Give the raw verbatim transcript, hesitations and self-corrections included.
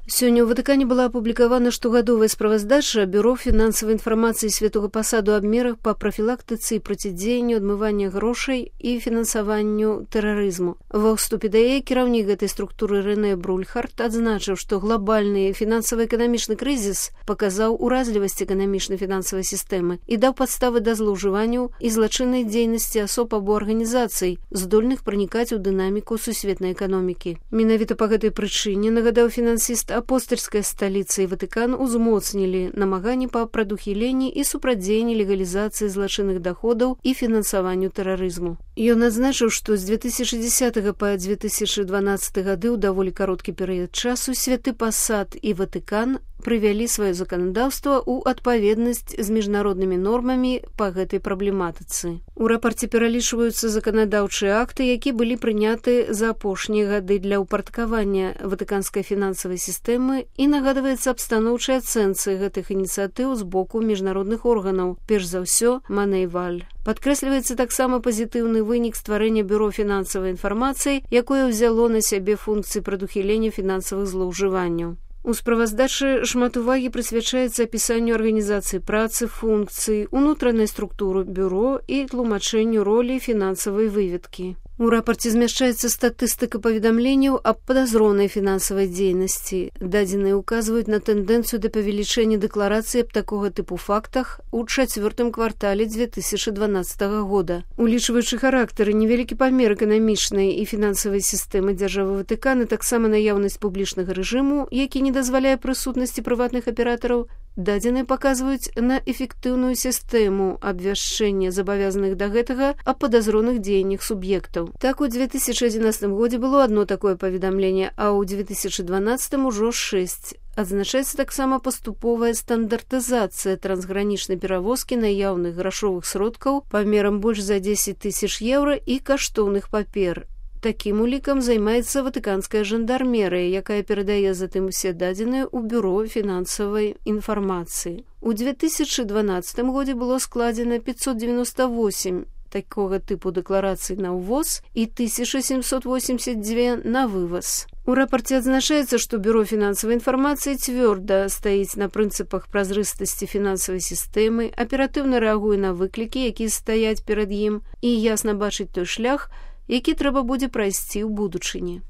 Сёння ў Ватыкане была апублікавана штогадовая справаздача Бюро фінансавай інфармацыі Святога Пасаду аб мерах па прафілактыцы і процідзеянню адмывання грошай і фінансаванню тэрарызму. Ва ўступе да яе кіраўнік гэтай структуры Рэне Брульхард адзначыў, што глобальны фінансава-эканамічны крызіс паказаў уразлівасць эканамічна-фінансавай сістэмы і даў падставы да злоўжыванняў і злачыннай дзейнасці асоб або арганізацый, здольных пранікаць у дынаміку сусветнай эканомікі. Менавіта па гэтай прычыне, нагадаў фінансіст, апостольская сталіца і Ватыкан узмоцнілі намаганні па прадухіленні і супрадзеянні легалізацыі злачынных даходаў і фінансаванню тэрарызму. Ён адзначыў, што з две тысячы дзесятага па две тысячы дванаццаты гады ў даволі кароткі перыяд часу Святы Пасад і Ватыкан прывялі сваё заканадаўства ў адпаведнасць з міжнароднымі нормамі па гэтай праблематыцы. У рапарце пералічваюцца заканадаўчыя акты, які былі прыняты за апошнія гады для ўпарадкавання ватыканскай фінансавай сістэмы, і нагадваецца аб станоўчай ацэнцы гэтых ініцыятыў з боку міжнародных органаў, перш за ўсё Манейваль. Падкрэсліваецца таксама пазітыўны вынік стварэння Бюро фінансавай інфармацыі, якое ўзяло на сябе функцыі прадухілення фінансавых злоўжыванняў. У справаздачы шмат увагі прысвячаецца апісанню арганізацыі працы, функцый, унутранай структуры бюро і тлумачэнню ролі фінансавай выведкі. У рапарце змяшчаецца статыстыка паведамленняў аб падазронай фінансавай дзейнасці. Дадзеныя ўказваюць на тэндэнцыю да павелічэння дэкларацый аб такога тыпу фактах у чацвёртым квартале две тысячы дванаццатага года. Улічваючы характары, невялікі памер эканамічнай і фінансавай сістэмы дзяржавы Ватыкана, таксама наяўнасць публічнага рэжыму, які не дазваляе прысутнасці прыватных аператараў, дадзеныя паказваюць на эфектыўную сістэму абвяшчэння забавязаных да гэтага аб падазроных дзеяннях суб'ектаў. Так, у две тысячы адзінаццатым годзе было одно такое паведамленне, а ў две тысячы дванаццатым ужо шэсць. Адзначаецца таксама паступовая стандартызацыя трансгранічнай перавозкі наяўных грашовых сродкаў памерам больш за дзесяць тысяч еўра і каштоўных папер. Такім улікам займаецца ватыканская жандармерыя, якая перадае затым усе дадзеныя ў Бюро фінансавай інфармацыі. У две тысячы дванаццатым годзе было складзена пятьсот девяносто восемь такога тыпу дэкларацый на ўвоз і тысяча семьсот восемьдесят два на вываз. У рапарце адзначаецца, што Бюро фінансавай інфармацыі цвёрда стаіць на прынцыпах празрыстасці фінансавай сістэмы, аператыўна рэагуе на выклікі, якія стаяць перад ім, і ясна бачыць той шлях, які трэба будзе прайсці ў будучыні.